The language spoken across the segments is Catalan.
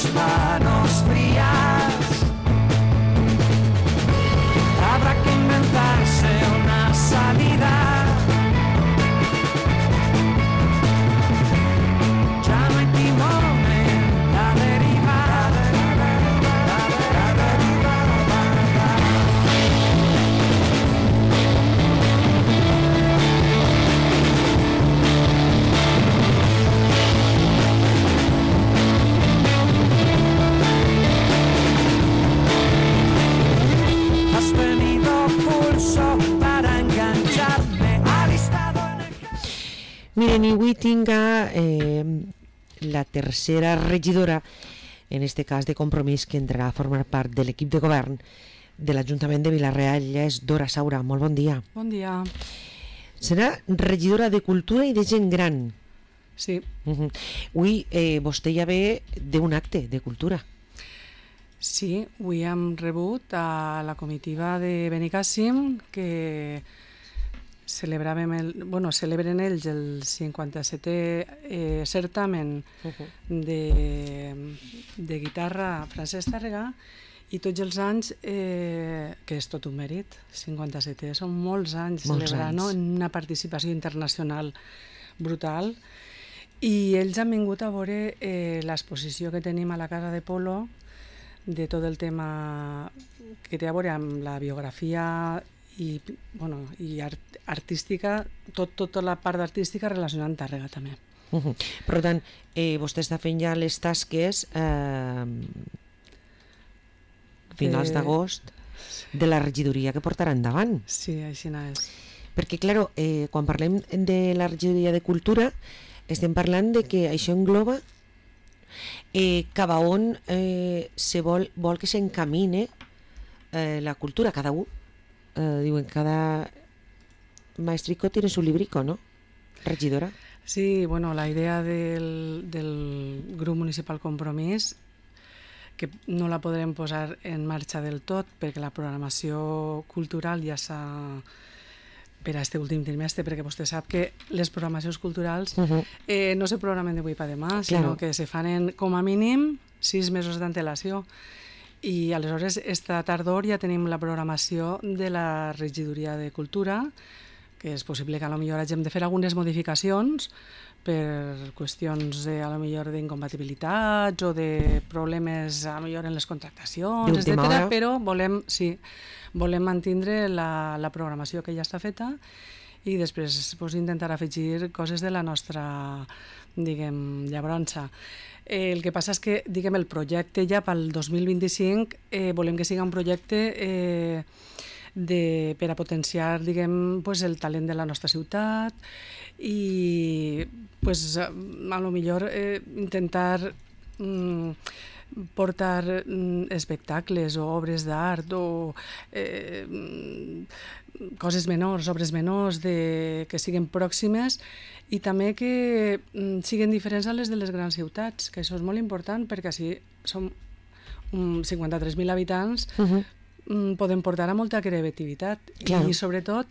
tus manos frías. Habrá que inventarse una salida. Ya no hay timón en la deriva. Has tenido pulso para engancharme al estado en el que... Miren, i avui tinc la tercera regidora, en este cas de Compromís, que entrarà a formar part de l'equip de govern de l'Ajuntament de Vila-real. Ella és Dora Saura. Molt bon dia. Bon dia. Serà regidora de Cultura i de Gent Gran. Sí. Avui vostè ja ve d'un acte de cultura. Sí, avui hem rebut a la comitiva de Benicàssim que celebren ells el 57è certamen de guitarra Francesc Tàrrega, i tots els anys, que és tot un mèrit, 57è, són molts anys celebrant, no? En una participació internacional brutal, i ells han vingut a veure l'exposició que tenim a la Casa de Polo de tot el tema que té a veure amb la biografia i artística, tota la part artística relacionada amb Tàrrega també. Per tant, vostè està fent ja les tasques finals d'agost de la regidoria que portarà endavant. Sí, així és. Perquè, clar, quan parlem de la regidoria de Cultura, estem parlant de que això engloba cap a on vol que s'encamine la cultura, cada un. Diuen, cada maestrico tiene su librico, ¿no? Regidora. Sí, bueno, la idea del grup municipal Compromís, que no la podrem posar en marxa del tot perquè la programació cultural ja s'ha per a este últim trimestre, perquè vostè sap que les programacions culturals no se programen d'avui per demà, sinó que se fan com a mínim 6 mesos d'antelació. I aleshores, esta tardor ja tenim la programació de la regidoria de Cultura, que és possible que potser hagin de fer algunes modificacions per qüestions d'incompatibilitats o de problemes potser en les contractacions, etc. Però volem mantindre la programació que ja està feta i després intentar afegir coses de la nostra, llabrança. El que passa és que, el projecte ja pel 2025 volem que sigui un projecte per a potenciar, el talent de la nostra ciutat i, a lo millor, intentar portar espectacles o obres d'art o coses menors, obres menors que siguin pròximes i també que siguin diferents a les de les grans ciutats, que això és molt important perquè així som 53.000 habitants, podem portar a molta creativitat i sobretot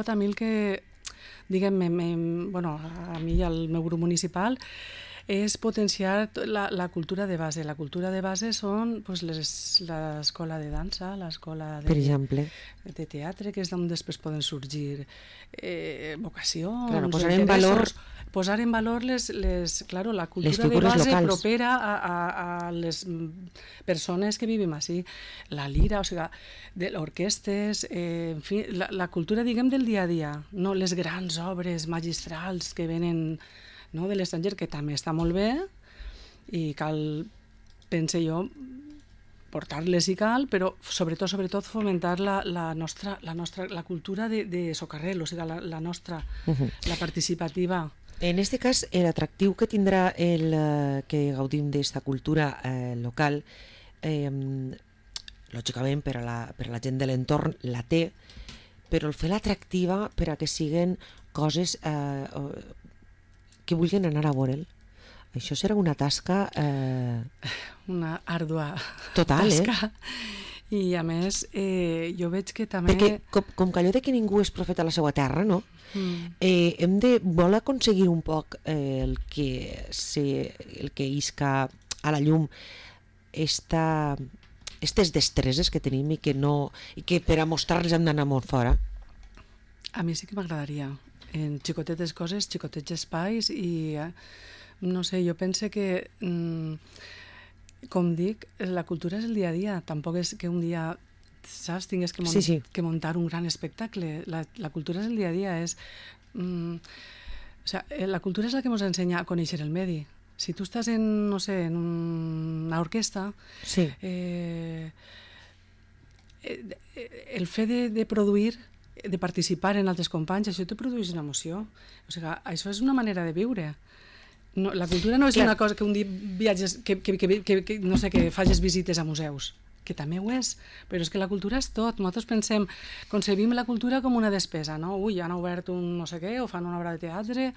a mi el que a mi i al meu grup municipal és potenciar la cultura de base. La cultura de base són l'escola de dansa, l'escola de teatre, que és d'on després poden sorgir vocacions, posar en valor la cultura de base locals, propera a les persones que vivim així. La lira, orquestes, en fi, la cultura, del dia a dia, no les grans obres magistrals que venen de l'estranger, que també està molt bé i cal, pense jo, portar-les i cal, però sobretot fomentar la cultura de socarrel, la nostra, la participativa. En aquest cas, l'atractiu que tindrà que gaudim d'esta cultura local, lògicament per a la gent de l'entorn la té, però el fer l'atractiva per a que siguin coses que vulguin anar a veure'l. Això serà una tasca... una àrdua total, tasca. I a més, jo veig que també... Perquè com que allò de que ningú és profeta a la seva terra, no? Hem de voler aconseguir un poc el que isca a la llum aquestes destreses que tenim i que per a mostrar-les hem d'anar molt fora. A mi sí que m'agradaria, en xicotetes coses, xicotets espais i no sé, jo pense que com dic, la cultura és el dia a dia, tampoc és que un dia saps, tingués que muntar un gran espectacle. La cultura és el dia a dia, la cultura és la que ens ensenya a conèixer el medi. Si tu estàs en, no sé, en una orquestra, el fet de produir, de participar en altres companys, això te produeix una emoció. O sigui, això és una manera de viure. No, la cultura no és una cosa que un dia viatges, que no sé, que facis visites a museus, que també ho és, però és que la cultura és tot. Nosaltres concebim la cultura com una despesa, no? Ui, han obert un no sé què, o fan una obra de teatre,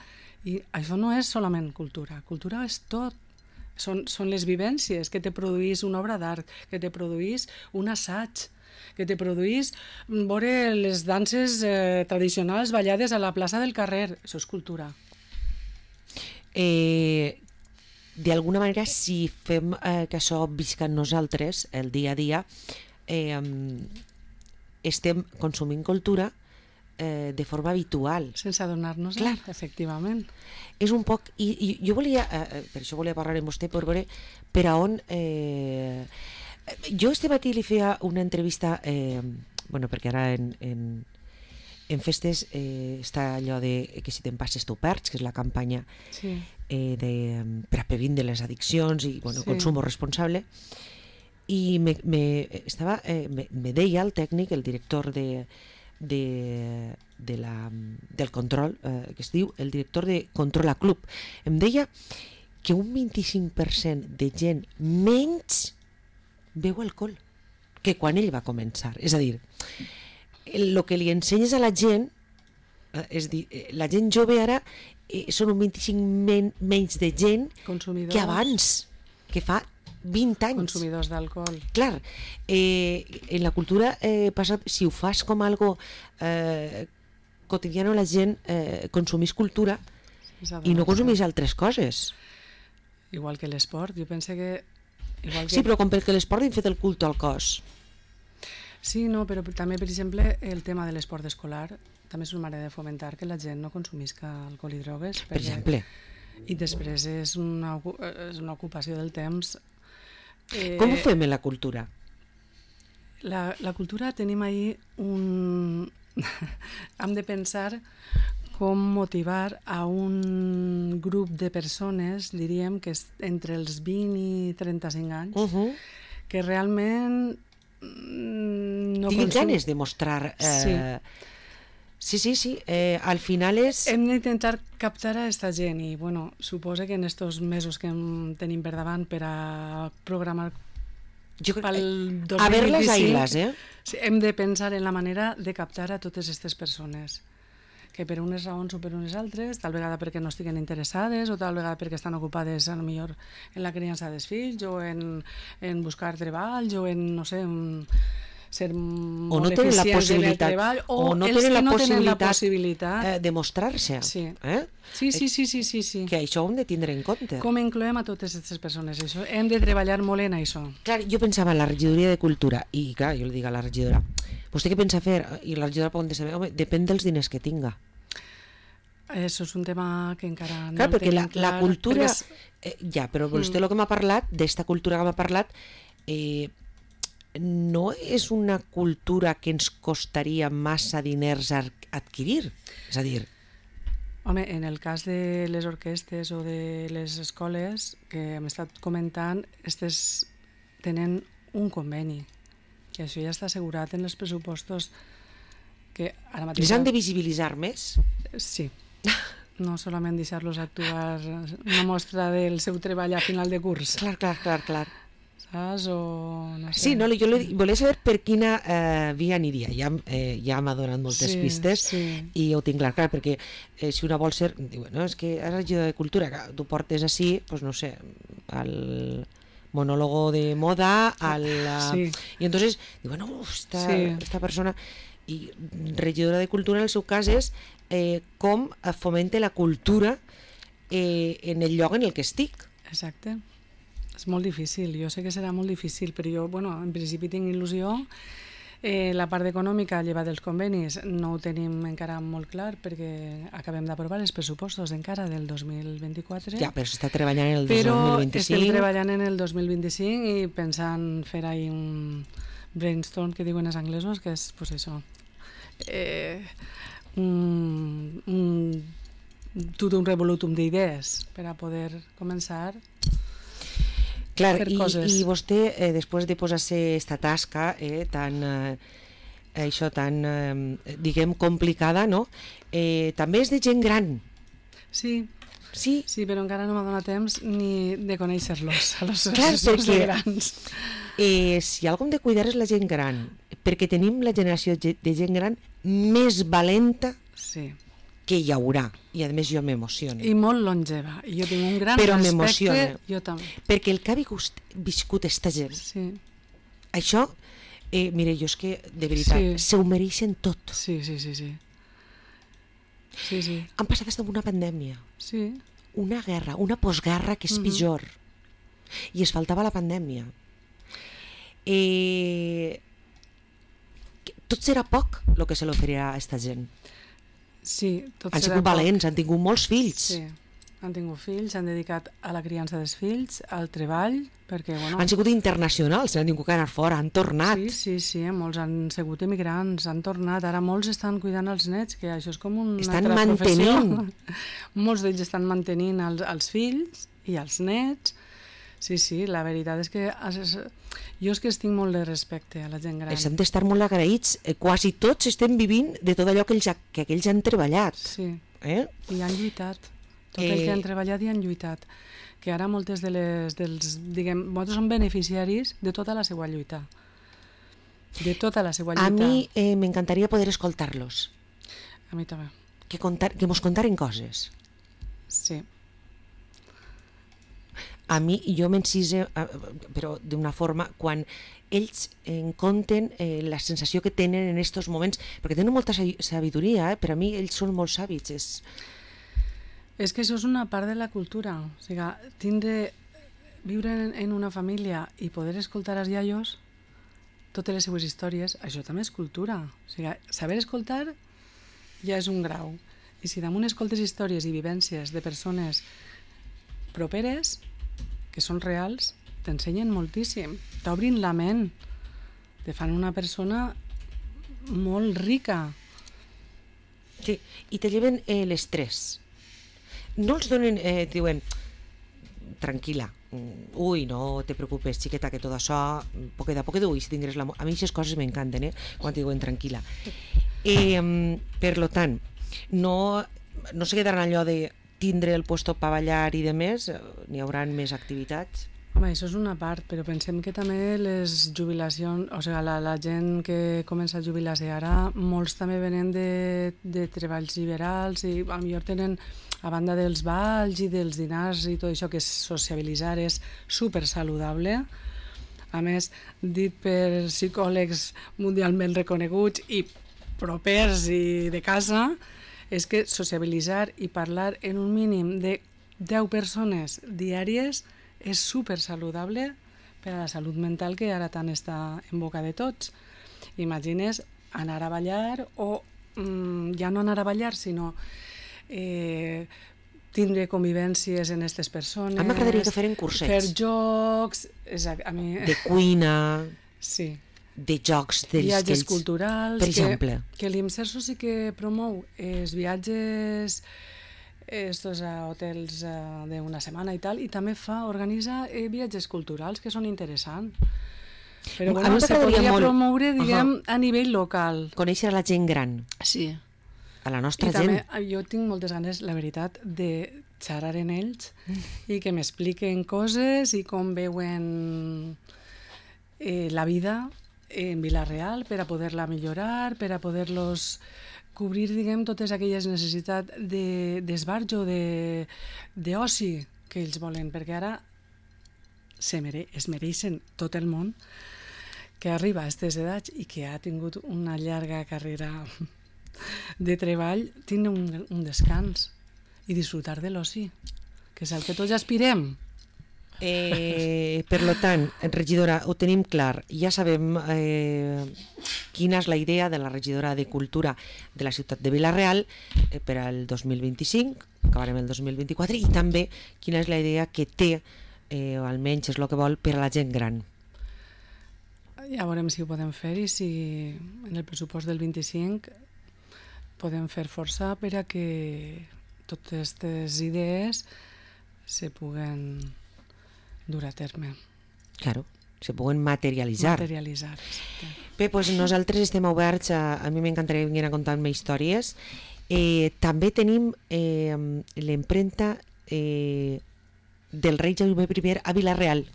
i això no és solament cultura. Cultura és tot. Són les vivències que te produís una obra d'art, que te produís un assaig, que te produís veure les danses tradicionals ballades a la plaça del carrer. Això és cultura. D'alguna manera, si fem que això visca en nosaltres el dia a dia, estem consumint cultura de forma habitual. Sense adonar-nos, efectivament. És un poc... I jo volia, per això volia parlar amb vostè, per veure per a on... Jo este matí li feia una entrevista, perquè ara en festes està allò de que si te'n passes t'ho perds, que és la campanya per a previndre les addiccions i consum responsable, i me deia el tècnic, el director del control, que es diu el director de Control a Club, em deia que un 25% de gent menys beu alcohol que quan ell va començar. És a dir, el que li ensenyes a la gent, és dir, la gent jove ara són un 25% menys de gent que abans, que fa 20 anys. Consumidors d'alcohol. Clar, en la cultura passa, si ho fas com algo quotidiano, la gent consumís cultura i no consumís altres coses. Igual que l'esport, jo penso que... Sí, però com perquè l'esport hem fet el culte al cos. Sí, no, però també, per exemple, el tema de l'esport escolar també és una manera de fomentar que la gent no consumisca alcohol i drogues. Per exemple. I després és una ocupació del temps. Com ho fem en la cultura? La cultura tenim ahir un... Hem de pensar com motivar a un grup de persones, diríem, que és entre els 20 i 35 anys, que realment no tinguin ganes de mostrar... Sí. Al final és... Hem d'intentar captar a aquesta gent i, suposo que en estos mesos que tenim per davant per a programar pel 2025... A ver les ailes, hem de pensar en la manera de captar a totes aquestes persones, que per unes raons o per unes altres, tal vegada perquè no estiguen interessades o tal vegada perquè estan ocupades a lo millor en la criança dels fills o en buscar treballs o en, no sé, ser molt eficients en el treball o no els que no tenen la possibilitat de mostrar-se. Sí. Sí. Que això ho hem de tindre en compte. Com incloem a totes aquestes persones? Això hem de treballar molt en això. Clar, jo pensava en la regidoria de cultura i clar, jo li dic a la regidora, vostè què pensa fer? I la regidora pot contestar, home, depèn dels diners que tinga. Això és un tema que encara no clar, perquè tenim clar. La cultura... però vostè el que m'ha parlat, d'esta cultura que m'ha parlat, no és una cultura que ens costaria massa diners adquirir. És a dir... Home, en el cas de les orquestes o de les escoles que hem estat comentant, aquestes tenen un conveni, que això ja està assegurat en els pressupostos que ara mateix... Les han de visibilitzar més? Sí. No solament deixar-los actuar una mostra del seu treball a final de curs. Clar. Saps? O no sé. Sí, no, jo volia saber per quina via aniria. Ja m'ha donat moltes pistes i ho tinc clar, perquè si una vol ser... Diu, no, és que és regidor de cultura, que tu portes així, doncs no sé, monólogo de moda, Sí. y entonces digo, bueno, esta persona, i regidora de cultura en el seu cas és com fomente la cultura en el lloc en el que estic. Exacte. És molt difícil, jo sé que serà molt difícil, però jo, bueno, en principi tinc il·lusió. La part econòmica, llevat dels convenis, no ho tenim encara molt clar perquè acabem d'aprovar els pressupostos encara del 2024. Ja, però s'està treballant en el Però 2025. estem treballant en el 2025 i pensant fer ahí un brainstorm que diuen els anglesos, que és, pues això, tot un revolutum d'idees per a poder començar Clar, fer coses. i vostè, després de posar-se esta tasca tan, diguem, complicada, no? També és de gent gran. Sí, Sí, sí, però encara no m'ha donat temps ni de conèixer-los, a los clar, assessors perquè grans. si algú hem de cuidar és la gent gran, perquè tenim la generació de gent gran més valenta Sí, que hi haurà, i a més jo m'emociono. i molt longeva. I jo tinc un gran Però respecte. m'emociona. Jo també. Perquè el que ha viscut esta gent, Sí, això, mire, jo és que, de veritat, Sí. se ho mereixen tot. sí, sí, sí, sí. Sí, sí. Han passat des d'una pandèmia, Sí, una guerra, una postguerra que és pitjor, i es faltava la pandèmia. Tot serà poc el que se l'oferirà a esta gent. sí. Tot Han serà sigut poc. valents, han tingut molts fills. Sí. Han tingut fills, s'han dedicat a la criança dels fills, al treball, perquè, bueno... Han sigut internacionals, han tingut que anar fora, han tornat. Sí, sí, sí, molts han sigut emigrants, han tornat, ara molts estan cuidant els nets, que això és com una Estan altra mantenint. professió. Molts d'ells estan mantenint els fills i els nets. Sí, sí, la veritat és que jo és que tinc molt de respecte a la gent gran. Els hem d'estar molt agraïts. Quasi tots estem vivint de tot allò que ells han treballat. Sí, Eh? i han lluitat. Tot el que han treballat i han lluitat. Que ara moltes diguem, nosaltres som beneficiaris de tota la seva lluita. De tota la seva lluita. A mi m'encantaria poder escoltar-los, A mi també. que mos contaren coses. Sí. A mi, jo m'encise, però d'una forma, quan ells conten la sensació que tenen en aquests moments, perquè tenen molta sabidoria, per a mi ells són molt sàvits. És que això és una part de la cultura. O sigui, viure en una família i poder escoltar els iaios, totes les seues històries, això també és cultura. O sigui, saber escoltar ja és un grau. I si damunt escoltes històries i vivències de persones properes, que són reals, t'ensenyen moltíssim. T'obrin la ment. Te fan una persona molt rica. Sí, i te lleven l'estrès. No els donen, diuen, tranquil·la, ui, no te preocupes, xiqueta, que tot això, poquet a poquet, ui, si tindràs l'amor. A mi aquestes coses m'encanten, quan diuen tranquil·la. Per lo tant, no se quedaran allò de tindre el puesto per ballar i de més, n'hi haurà més activitats. Home, això és una part, però pensem que també les jubilacions, o sigui, la gent que comença a jubilar-se ara, molts també venen de treballs liberals i potser tenen, a banda dels balls i dels dinars i tot això, que és sociabilitzar, és super saludable. A més, dit per psicòlegs mundialment reconeguts i propers i de casa, és que sociabilitzar i parlar en un mínim de 10 persones diàries és super saludable per a la salut mental, que ara tant està en boca de tots. Imagines anar a ballar o ja no anar a ballar, sinó tindre convivències en aquestes persones. A mi m'agradaria que feren cursets. Fer jocs... A mi... De cuina, Sí. de jocs d'ells. Viatges culturals. Per exemple. Que l'IMSERSO sí que promou els viatges estos a hotels d'una setmana i tal, i també organitza viatges culturals que són interessants. Però A bueno, mi se m'agradaria podria molt- promoure, diguem, a nivell local. Conèixer a la gent gran, Sí. a la nostra I també gent. jo tinc moltes ganes, la veritat, de xerrar en ells i que m'expliquen coses i com veuen la vida en Vila-real per a poder-la millorar, per a poder-los cobrir, diguem, totes aquelles necessitats d'esbarjo, d'oci que ells volen, perquè ara es mereixen tot el món, que arriba a aquestes edats i que ha tingut una llarga carrera de treball, tindre un descans i disfrutar de l'oci, que és el que tots aspirem. Per tant, regidora, ho tenim clar, ja sabem quina és la idea de la regidora de Cultura de la ciutat de Vila-real per al 2025, acabarem el 2024, i també quina és la idea que té, o almenys és el que vol, per a la gent gran. Ja veurem si ho podem fer i si en el pressupost del 25 podem fer força per a que totes aquestes idees se puguen dur a terme. Claro, se puguen materialitzar. Exacte. Bé, doncs nosaltres estem oberts, a mi m'encantaria venir a contar-me històries. També tenim l'empremta del rei Jaume I a Vila-real.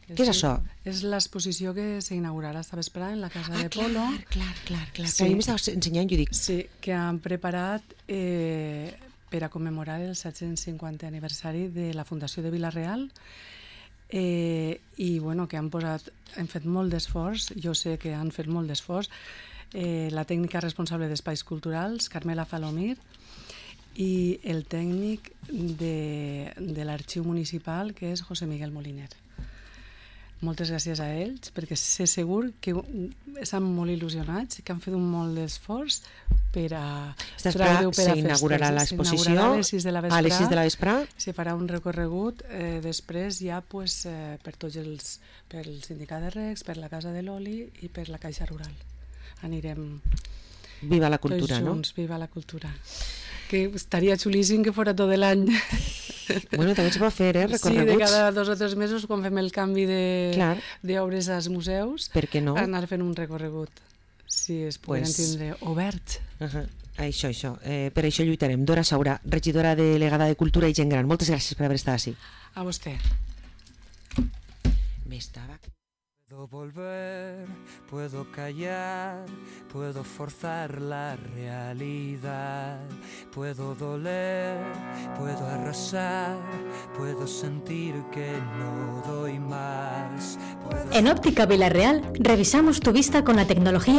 Què és això? És l'exposició que s'inaugurarà esta vesprada en la Casa de Polo. Clar. Sí. A mi m'estaves ensenyant i jo dic... Sí, que han preparat per a commemorar el 750 aniversari de la Fundació de Vila-real i bueno, que han fet molt d'esforç, jo sé que han fet molt d'esforç, la tècnica responsable d'Espais Culturals, Carmela Falomir, i el tècnic de l'Arxiu Municipal, que és José Miguel Moliner. Moltes gràcies a ells, perquè sé segur que estan molt il·lusionats, que han fet un molt d'esforç per a s'inaugurarà l'exposició a les 6 de la vesprada. Se farà un recorregut després ja per tots pel Sindicat de Recs, per la Casa de l'Oli i per la Caixa Rural. Anirem Viva la cultura, tots junts, Viva la cultura. Que estaria xulíssim que fora tot l'any. Bueno, també es pot fer, recorreguts. Sí, de cada 2 o 3 mesos, quan fem el canvi d'obres als museus, per què no? Anar fent un recorregut, si es poden tindre oberts. Això. Per això lluitarem. Dora Saura, regidora delegada de Cultura i Gent Gran. Moltes gràcies per haver estat així. A vostè. M'estava... Puedo volver, puedo callar, puedo forzar la realidad, puedo doler, puedo arrasar, puedo sentir que no doy más. En Óptica Vila-real revisamos tu vista con la tecnología